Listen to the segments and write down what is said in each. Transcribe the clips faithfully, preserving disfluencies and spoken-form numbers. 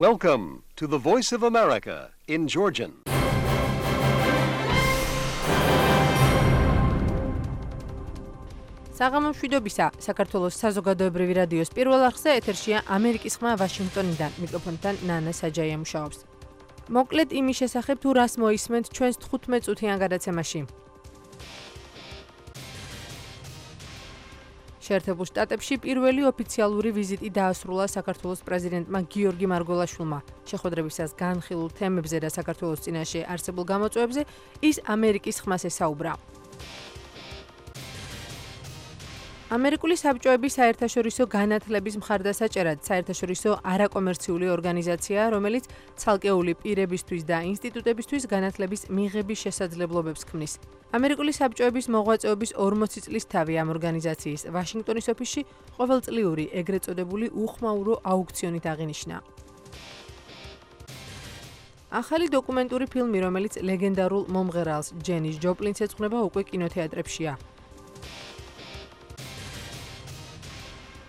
Welcome to the Voice of America in Georgian. საღამომშვიდობისა, საქართველოს საზოგადოებრივი რადიოს პირველ არხზე ეთერშია ამერიკის ხმა ვაშინგტონიდან, მიკროფონთან ნანა საჯაია მუშაობს. მოკლედ იმის შესახებ თუ რას მოისმენთ ჩვენს თხუთმეტ წუთიან გადაცემაში. შეერთებულ შტატებში პირველი ოფიციალური ვიზიტი დაასრულა საქართველოს პრეზიდენტმა გიორგი მარგველაშვილმა. შეხვედრებისას განხილულ თემებზე და საქართველოს წინაშე არსებულ გამოწვევებზე ის ამერიკის ხმას ესაუბრა. ამერიკული საბჭოების საერთაშორისო განათლების მხარდასაჭერად საერთაშორისო არაკომერციული ორგანიზაცია, რომელიც ცალკეული პირებისთვის და ინსტიტუტებისთვის განათლების მიღების შესაძლებლობებს ქმნის. ამერიკული საბჭოების მოღვაწეობის ორმოცი წლის თავი ამ ორგანიზაციის ვაშინგტონის ოფისში ყოველწლიური ეგრეთ წოდებული უხმაურო აუქციონით აღინიშნა. ახალი დოკუმენტური ფილმი, რომელიც ლეგენდარულ მომღერალს ჯენის ჯოპლინს ეძღვნება, უკვე კინოთეატრებშია.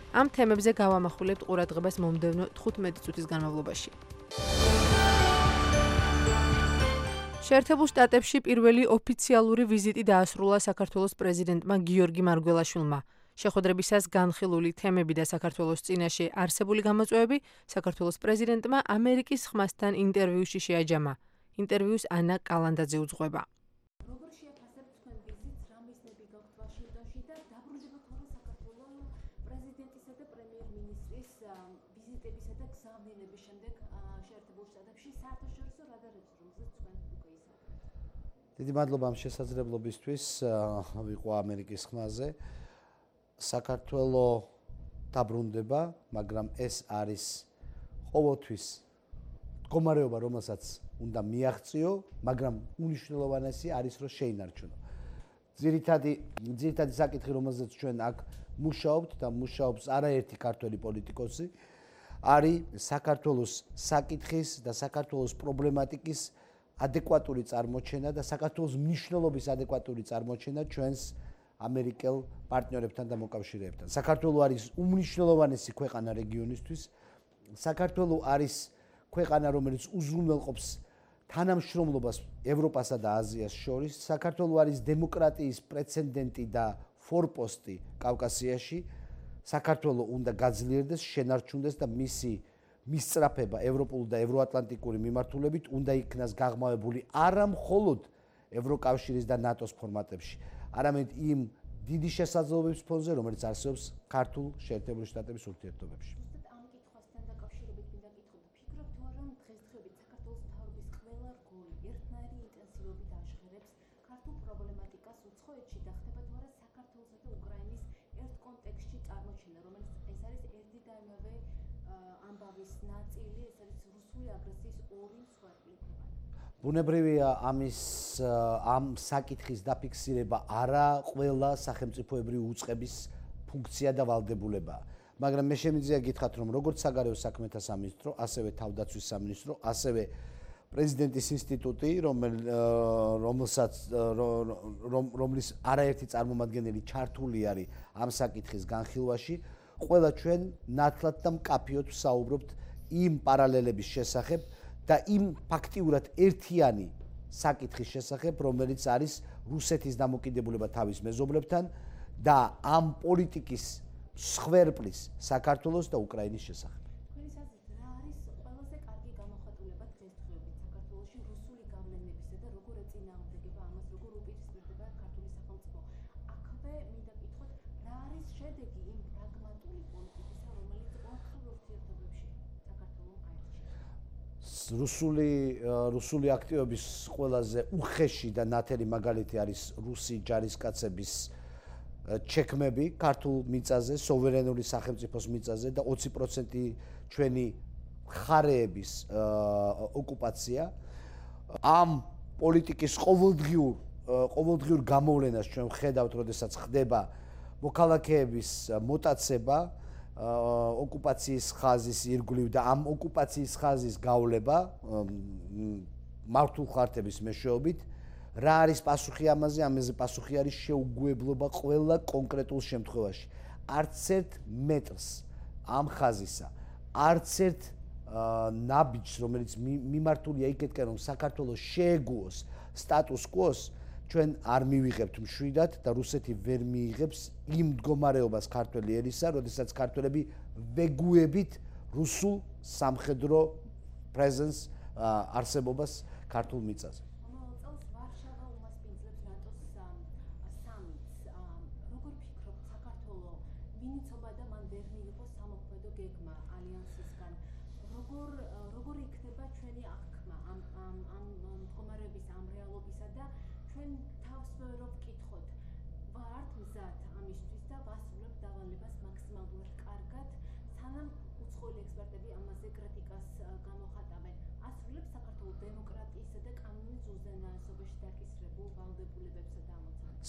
ამ თემებზე გავამახვილებთ ყურადღებას მომდევნო თხუთმეტი წუთის განმავლობაში. შეერთებულ შტატებში პირველი ოფიციალური ვიზიტი დაასრულა საქართველოს პრეზიდენტმა გიორგი მარგველაშვილმა. შეხვედრებისას განხილული თემები და საქართველოს წინაშე არსებული გამოწვევები საქართველოს პრეზიდენტმა ამერიკის ხმასთან ინტერვიუში შეაჯამა. ინტერვიუს ანა კალანდაძე უძღვება. დიდი მადლობა ამ შესაძლებლობისთვის ვიყო ამერიკის ხმაზე. საქართველოს დაბრუნდება, მაგრამ ეს არის ყოველთვის მდგომარეობა, რომელსაც უნდა მიაღწიო, მაგრამ უნიშნელოვანესი არის, რომ შეინარჩუნო. ძირითადი ძირითადი საკითხი, რომელზეც ჩვენ აქ მუშაობთ და მუშაობს არაერთი ქართველი პოლიტიკოსი, არის საქართველოს საკითხის და საქართველოს პრობლემატიკის ადეკვატური წარმოჩენა და საქართველოს მნიშვნელობის ადეკვატური წარმოჩენა ჩვენს ამერიკელ პარტნიორებთან და მოკავშირეებთან. საქართველო არის უმნიშვნელოვანესი ქვეყანა რეგიონისთვის. საქართველო არის ქვეყანა, რომელიც უზრუნველყოფს თანამშრომლობას ევროპასა და აზიას შორის. საქართველო არის დემოკრატიის პრეცედენტი და ფორპოსტი კავკასიაში. საქართველო უნდა გაძლიერდეს, შენარჩუნდეს და მისი მისწრაფება ევროპულ და ევროატლანტიკური მიმართულებით უნდა იქნას გაღრმავებული არა მხოლოდ ევროკავშირის და ნატოს ფორმატებში, არამედ იმ დიდი შესაძლებლობების ფონზე, რომელიც არსებობს ქართულ შეერთებული შტატების ურთიერთობებში. ამ კითხვასთან დაკავშირებით მინდა გითხრათ, ფიქრობთ თუ არა დღესდღეობით საქართველოს მთავრობის ყველა რგოლი ერთნაირი ინტენსივობით აღშღერებს ქართულ პრობლემატიკას უცხოეთში და ხდება თუ არა საქართველოსა და უკრაინის ერთ კონტექსტში წარმოჩენა, რომელიც ეს არის ერთი და იმავე ამბავის ნაწილი, ეს არის რუსული აგრესიის ორი მსხვერპლი ქვეყანა. ბუნებრივია ამის ამ საკითხის დაფიქსირება არა ყველა სახელმწიფოებრივი უწყების ფუნქცია და ვალდებულებაა. მაგრამ მე შემიძლია გითხრათ, რომ როგორც საგარეო საქმეთა სამინისტრო, ასევე თავდაცვის სამინისტრო, ასევე პრეზიდენტის ინსტიტუტი, რომელსაც რომლის არაერთი წარმომადგენელი ჩართული არის ამ საკითხის განხილვაში, ყველა ჩვენ ნათლად და მკაფიოდ ვსაუბრობთ იმ პარალელების შესახებ და იმ ფაქტიურად ერთიანი საკითხის შესახებ, რომელიც არის რუსეთის დამოკიდებულება თავის მეზობლებთან და ამ პოლიტიკის მსხვერპლის საქართველოს და უკრაინის შესახებ. თქვენი აზრით, რა არის ყველაზე კარგი გამოხატულება დღესდღეობით საქართველოში რუსული გავლენებისა და როგორ ეწინააღმდეგება ამას, როგორ უპირისპირდება ქართული სახელმწიფო? აქვე მინდა გითხრათ, რა არის შედეგი იმ პრაგმატული პოლიტიკისა, რომელიც ორხელ ურთიერთობებში საქართველოს აერთიანებს? რუსული რუსული აქტივობის ყველაზე უხეში და ნათელი მაგალითი არის რუსი ჯარისკაცების ჩექმები ქართულ მიწაზე, სუვერენული სახელმწიფოს მიწაზე და ოცი პროცენტი ჩვენი მხარეების ოკუპაცია. ამ პოლიტიკის ყოველდღიურ ყოველდღიურ გამოვლენას ჩვენ ვხედავთ, როდესაც ხდება მოქალაქეების მოტაცება, ოკუპაციის ხაზის ირგვლივ და ამ ოკუპაციის ხაზის გავლება მართულ ხარტების მეშვეობით. რა არის პასუხი ამაზე? ამაზე პასუხი არის შეუგუებლობა ყველა კონკრეტულ შემთხვევაში. არც ერთ მეტრს ამ ხაზისა, არც ერთ ნაბიჯს, რომელიც მიმართულია იქეთკენ, რომ საქართველოს შეეგუოს სტატუს კვოს, ჩვენ არ მივიღებთ მშვიდად და რუსეთი ვერ მიიღებს იმ მდგომარეობას ქართველი ერისა, როდესაც ქართველები ვეგუებით რუსულ სამხედრო პრეზენს არსებობას ქართულ მიწაზე.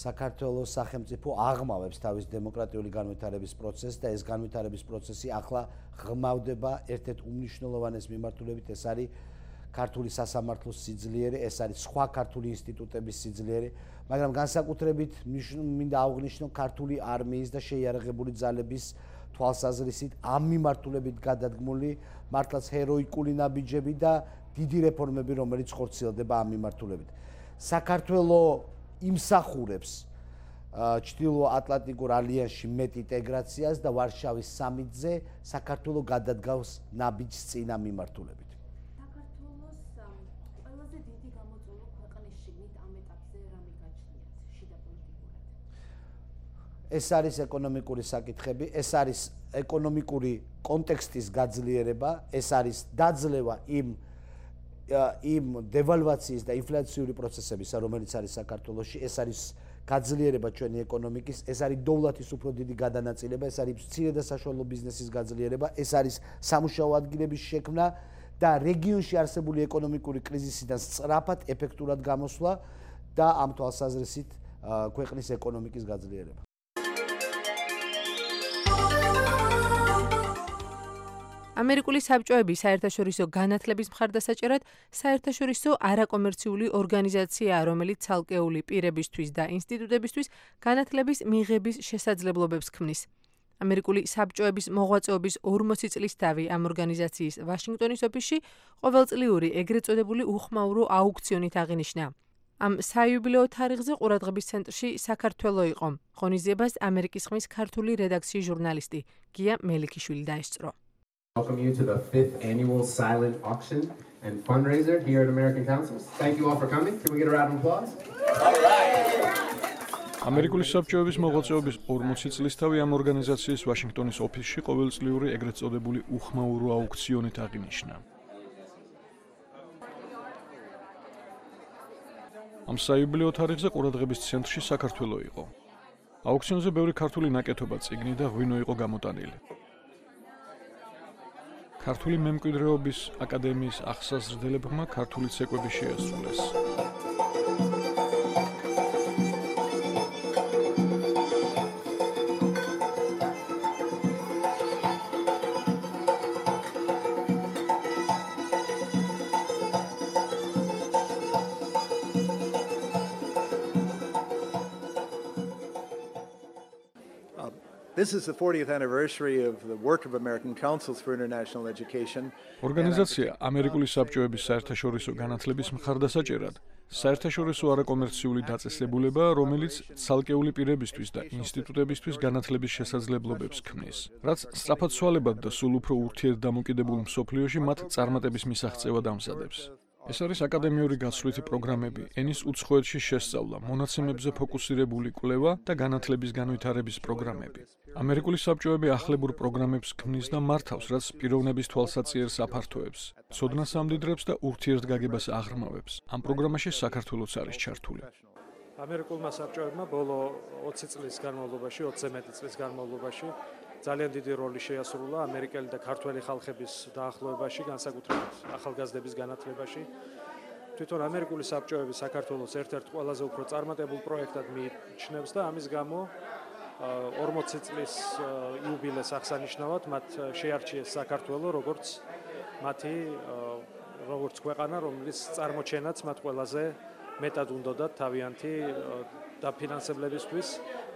საქართველოს სახელმწიფო აღმავებს თავის დემოკრატიული განვითარების პროცესს და ეს განვითარების პროცესი ახლა ღრმავდება ერთ-ერთ უმნიშვნელოვანეს მიმართულებით, ეს არის ქართული სასამართლოს სიძლიერე, ეს არის სხვა ქართული ინსტიტუტების სიძლიერე, მაგრამ განსაკუთრებით მინდა აღვნიშნო ქართული არმიის და შეიარაღებული ძალების თვალსაზრისით ამ მიმართულებით გადადგმული მართლაც ჰეროიკული ნაბიჯები და დიდი რეფორმები, რომელიც ხორციელდება ამ მიმართულებით. საქართველოს იმსახურებს ჩრდილო-ატლანტიკურ ალიანსში მეტ ინტეგრაციას და ვარშავის სამიტზე საქართველოს გადადგავს ნაბიჯს წინ ამ მიმართულებით. საქართველოს ყველაზე დიდი გამოწვევა ქვეყნის შიგნით ამ ეტაპზე რამე გაჩნიათ შიდა პოლიტიკურად? ეს არის ეკონომიკური საკითხები, ეს არის ეკონომიკური კონტექსტის გაძლიერება, ეს არის დაძლევა იმ იმ დევალვაციის და ინფლაციური პროცესებისა, რომელიც არის საქართველოში, ეს არის გაძლიერება ჩვენი ეკონომიკის, ეს არის დოვლათის უფრო დიდი გადანაწილება, ეს არის მცირე და საშუალო ბიზნესის გაძლიერება, ეს არის სამუშაო ადგილების შექმნა და რეგიონში არსებული ეკონომიკური კრიზისიდან სწრაფად, ეფექტურად გამოსვლა და ამ თვალსაზრისით ქვეყნის ეკონომიკის გაძლიერება. ამერიკული საბჭოები საერთაშორისო განათლების მხარდასაჭერად საერთაშორისო არაკომერციული ორგანიზაციაა, რომელიც ცალკეული პირებისთვის და ინსტიტუტებისთვის განათლების მიღების შესაძლებლობებს ქმნის. ამერიკული საბჭოების მოღვაწეობის ორმოცი წლის თავი ამ ორგანიზაციის ვაშინგტონის ოფისში ყოველწლიური ეგრეთ წოდებული უხმაურო აუქციონით აღინიშნა. ამ საიუბილეო თარიღზე ყურადღების ცენტრში საქართველო იყო. ღონისძიებას ამერიკის ხმის ქართული რედაქციის ჟურნალისტი გია მელიქიშვილი დაესწრო. Welcome you to the fifth annual silent auction and fundraiser here at American Councils. Thank you all for coming. Can we get a round of applause? All right. ამერიკული საბჭოების მოღვაწეობის ორმოცი წლის თავი ამ ორგანიზაციის ვაშინგტონის ოფისში ყოველწლიური ეგრეთ წოდებული უხმაურო აუქციონით აღინიშნა. ამ საიუბილეო თარიღზე ყურადღების ცენტრში საქართველო იყო. აუქციონზე ბევრი ქართული ნაკეთობა, წიგნი და ღვინო იყო გამოტანილი. ქართული მემკვიდრეობის აკადემიის აღსაზრდელებმა ქართული ცეკვები შეასრულეს. This is the fortieth anniversary of the work of American Councils for International Education. ორგანიზაცია ამერიკული საბჭოების საერთაშორისო განათლების მხარდასაჭერად საერთაშორისო არაკომერციული დაწესებულება, რომელიც ცალკეული პირებისთვის და ინსტიტუტებისთვის განათლების შესაძლებლობებს ქმნის, რაც სწრაფად სვალებად და სულ უფრო ურთიერთდამოკიდებულ მსოფლიოში მათ წარმატების მისაღწევად ამზადებს. ეს არის აკადემიური გაცვლითი პროგრამები, ენის უცხოეთში შესწავლა, მონაცემებზე ფოკუსირებული კვლევა და განათლების განვითარების პროგრამები. ამერიკული საბჭოები ახლებურ პროგრამებს ქმნის და მართავს, რაც პიროვნების თვალსაჩინოს აფართოებს, ცოდნას ამდიდრებს და ურთიერთგაგებას აღრმავებს. ამ პროგრამაში საქართველოც არის ჩართული. ამერიკულმა საბჭოებმა ბოლო ოცი წლის განმავლობაში, ოცზე მეტი წლის განმავლობაში ძალიან დიდი როლი შეასრულა ამერიკელი და ქართველი ხალხების დაახლოებაში, განსაკუთრებით ახალგაზრდების განათლებაში. თვითონ ამერიკული საბჭოები საქართველოს ერთ-ერთ ყველაზე უფრო წარმატებულ პროექტად მიიჩნევს და ამის გამო ორმოცი წლის იუბილეს აღსანიშნავად მათ შეარჩიეს საქართველო როგორც მათი როგორც ქვეყანა, რომლის წარმოჩენაც მათ ყველაზე მეტად უნდოდათ თავიანთი დაფინანსებლებისთვის,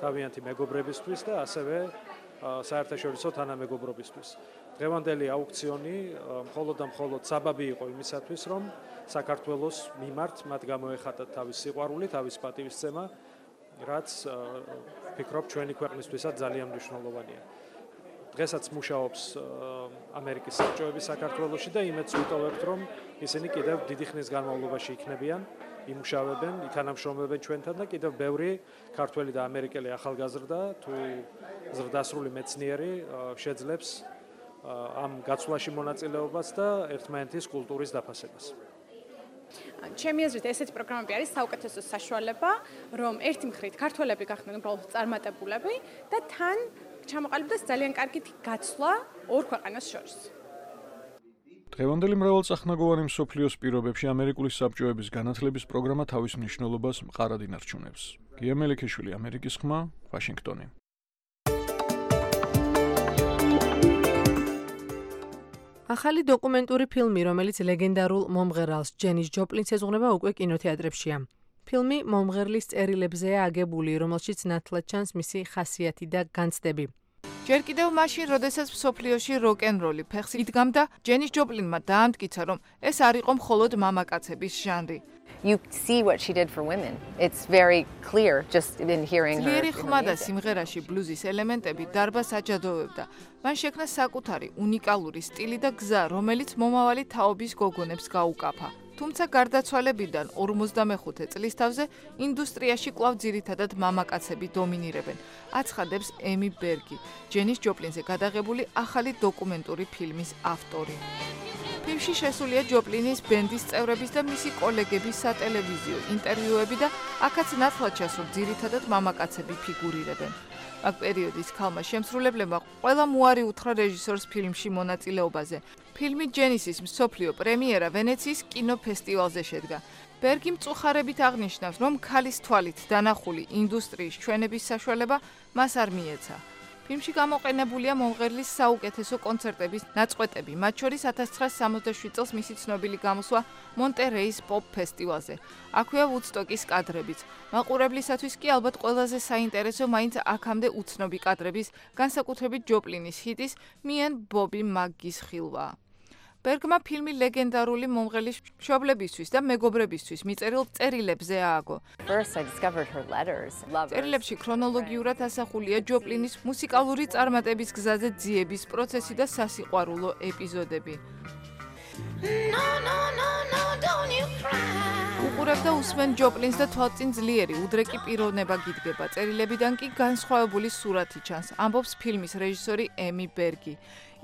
თავიანთი მეგობრებისთვის და ასევე საერთაშორისო თანამეგობრობისთვის. დღევანდელი აუქციონი მხოლოდ და მხოლოდ საბაბი იყო იმისათვის, რომ საქართველოს მიმართ მათ გამოეხატათ თავის სიყვარული, თავის პატივისცემა, რაც ვფიქრობ ჩვენი ქვეყნისთვისაც ძალიან მნიშვნელოვანია. დღესაც მუშაობს ამერიკის საბჭოები საქართველოში და იმედს ვიტოვებთ, რომ ისინი კიდევ დიდი ხნის განმავლობაში იქნებიან, იმუშავებენ, ითანამშრომლებენ ჩვენთან და კიდევ ბევრი ქართველი და ამერიკელი ახალგაზრდა თუ ზრდასრული მეცნიერი შეძლებს ამ გაცვლაში მონაწილეობას და ერთმანეთის კულტურის დაფასებას. ჩემი აზრით ესეთი პროგრამები არის საუკეთესო საშუალება, რომ ერთი მხრივ ქართველები გახდნენ უბრალოდ წარმატებულები და თან ჩამოყალიბდეს ძალიან კარგი გაცვლა ორ ქვეყანას შორის. დღევანდელი მრავალწახნაგოვანი მსოფლიოს პირობებში ამერიკული საბჭოების განათლების პროგრამა თავის მნიშვნელობას მყარად ინარჩუნებს. გია მელიქიშვილი, ამერიკის ხმა, ვაშინგტონი. ახალი დოკუმენტური ფილმი, რომელიც ლეგენდარულ მომღერალს ჯენის ჯოპლინს ეძღვნება, უკვე კინოთეატრებშია. ფილმი მომღერლის წერილებზეა აგებული, რომელშიც ნათლად ჩანს მისი ხასიათი და განცდები. ჯერ კიდევ მაშინ, როდესაც მსოფლიოში როკ-ენ-როლი ფეხს იდგამდა, ჯენის ჯოპლინმა დაამტკიცა, რომ ეს არ იყო მხოლოდ მამაკაცების ჟანრი. You see what she did for women. It's very clear just in hearing her. ძლიერი ხმა და სიმღერაში ბლუზის ელემენტები დარბას აჯადოვებდა. მან შექმნა საკუთარი უნიკალური სტილი და გზა, რომელიც მომავალი თაობის გოგონებს გაუკაფა. თუმცა გარდაცვალებიდან ორმოცდამეხუთე წლის თავზე ინდუსტრიაში კვლავ ძირითადად მამაკაცები დომინირებენ. აცხადებს ემი ბერგი, ჯენის ჯოპლინზე გადაღებული ახალი დოკუმენტური ფილმის ავტორი. ფილმში შესულია ჯოპლინის ბენდის წევრების და მისი კოლეგების სატელევიზიო ინტერვიუები და აქაც ნათლად ჩანს, რომ ძირითადად მამაკაცები ფიგურირებენ. აქ პერიოდის ქალმა შემსრულებლებმა ყველა მოარი უთხრა რეჟისორს ფილმში მონაწილეობაზე. ფილმი ჯენისის მსოფლიო პრემიერა ვენეციის კინოფესტივალზე შედგა. ბერგი მწუხარებით აღნიშნავს, რომ ქალის თვალით დანახული ინდუსტრიის ჩვენების საშუალება მას არ მიეცა. ფილმში გამოყენებულია მომღერლის საუკეთესო კონცერტების ნაწყვეტები, მათ შორის ათას ცხრაასი სამოცდაშვიდ წელს მისი ცნობილი გამოსვლა მონტერეის პოპ ფესტივალზე. აქვეა ვუდსტოკის კადრებიც. მაყურებლისათვის კი ალბათ ყველაზე საინტერესო მაინც აქამდე უცნობი კადრების, განსაკუთრებით ჯოპლინის ჰიტის „Me and Bobby McGee-ს ხილვა. ბერგმა ფილმი ლეგენდარული მომღერლის მშობლებისთვის და მეგობრებისთვის მიწერილ წერილებზე ააგო. წერილებში ქრონოლოგიურად ასახულია ჯოპლინის მუსიკალური წარმატების გზაზე ძიების პროცესი და სასიყვარულო ეპიზოდები. უყურებდა უსმენ ჯოპლინს და თვალწინ ძლიერი უდრეკი პიროვნება გიდგება. წერილებიდან კი განსხვავებული სურათი ჩანს, ამბობს ფილმის რეჟისორი ემი ბერგი.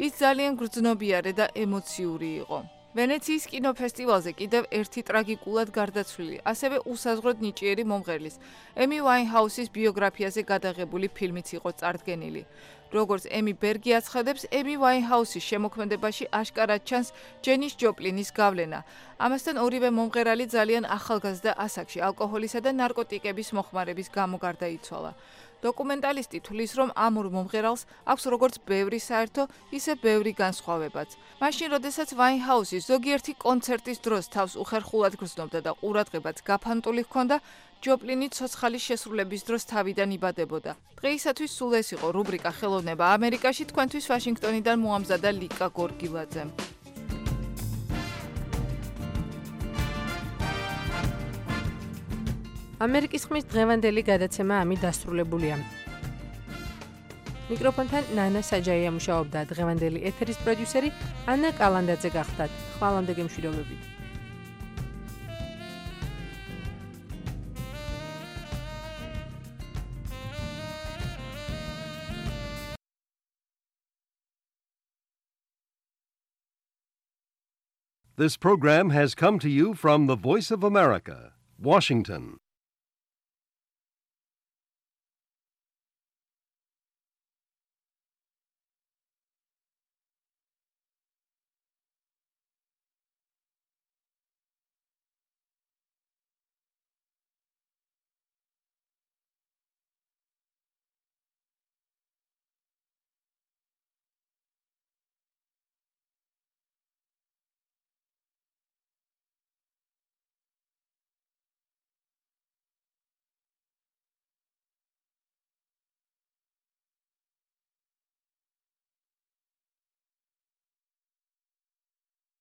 ის ძალიან გრძნობიარე და ემოციური იყო. ვენეციის კინოფესტივალზე კიდევ ერთი ტრაგიკულად გარდაცვლილი, ასევე უსაზღვროდ ნიჭიერი მომღერლის, ემი ვაინჰაუსის ბიოგრაფიაზე გადაღებული ფილმიც იყო წარდგენილი. როგორც ემი ბერგი აცხადებს, ემი ვაინჰაუსის შემოქმედებაში აშკარად ჩანს ჯენის ჯოპლინის გავლენა. ამასთან ორივე მომღერალი ძალიან ახალგაზრდა ასაკში ალკოჰოლისა და ნარკოტიკების მოხმარების გამო გარდაიცვალა. დოკუმენტალისტი თვლის, რომ ამ ორ მომღერალს აქვს როგორც ბევრი საერთო, ისე ბევრი განსხვავებაც. მაშინ, როდესაც ვაინჰაუსი ზოგიერთი კონცერტის დროს თავს უხერხულად გრძნობდა და ყურადღებაც გაფანტული ჰქონდა, ჯოპლინი ცოცხალის შესრულების დროს თავიდან იბადებოდა. დღეისათვის სულ ეს იყო რუბრიკა ხელოვნება ამერიკაში, თქვენთვის ვაშინგტონიდან მოამზადა ლიკა გორგილაძემ. ამერიკის ხმის დღევანდელი გადაცემა ამით დასრულებულია. მიკროფონთან ნანა საჯაია მუშაობდა, დღევანდელი ეთერის პროდიუსერი ანა კალანდაძე გახდათ. ხვალამდე გემშვიდობებით. This program has come to you from the Voice of America, Washington.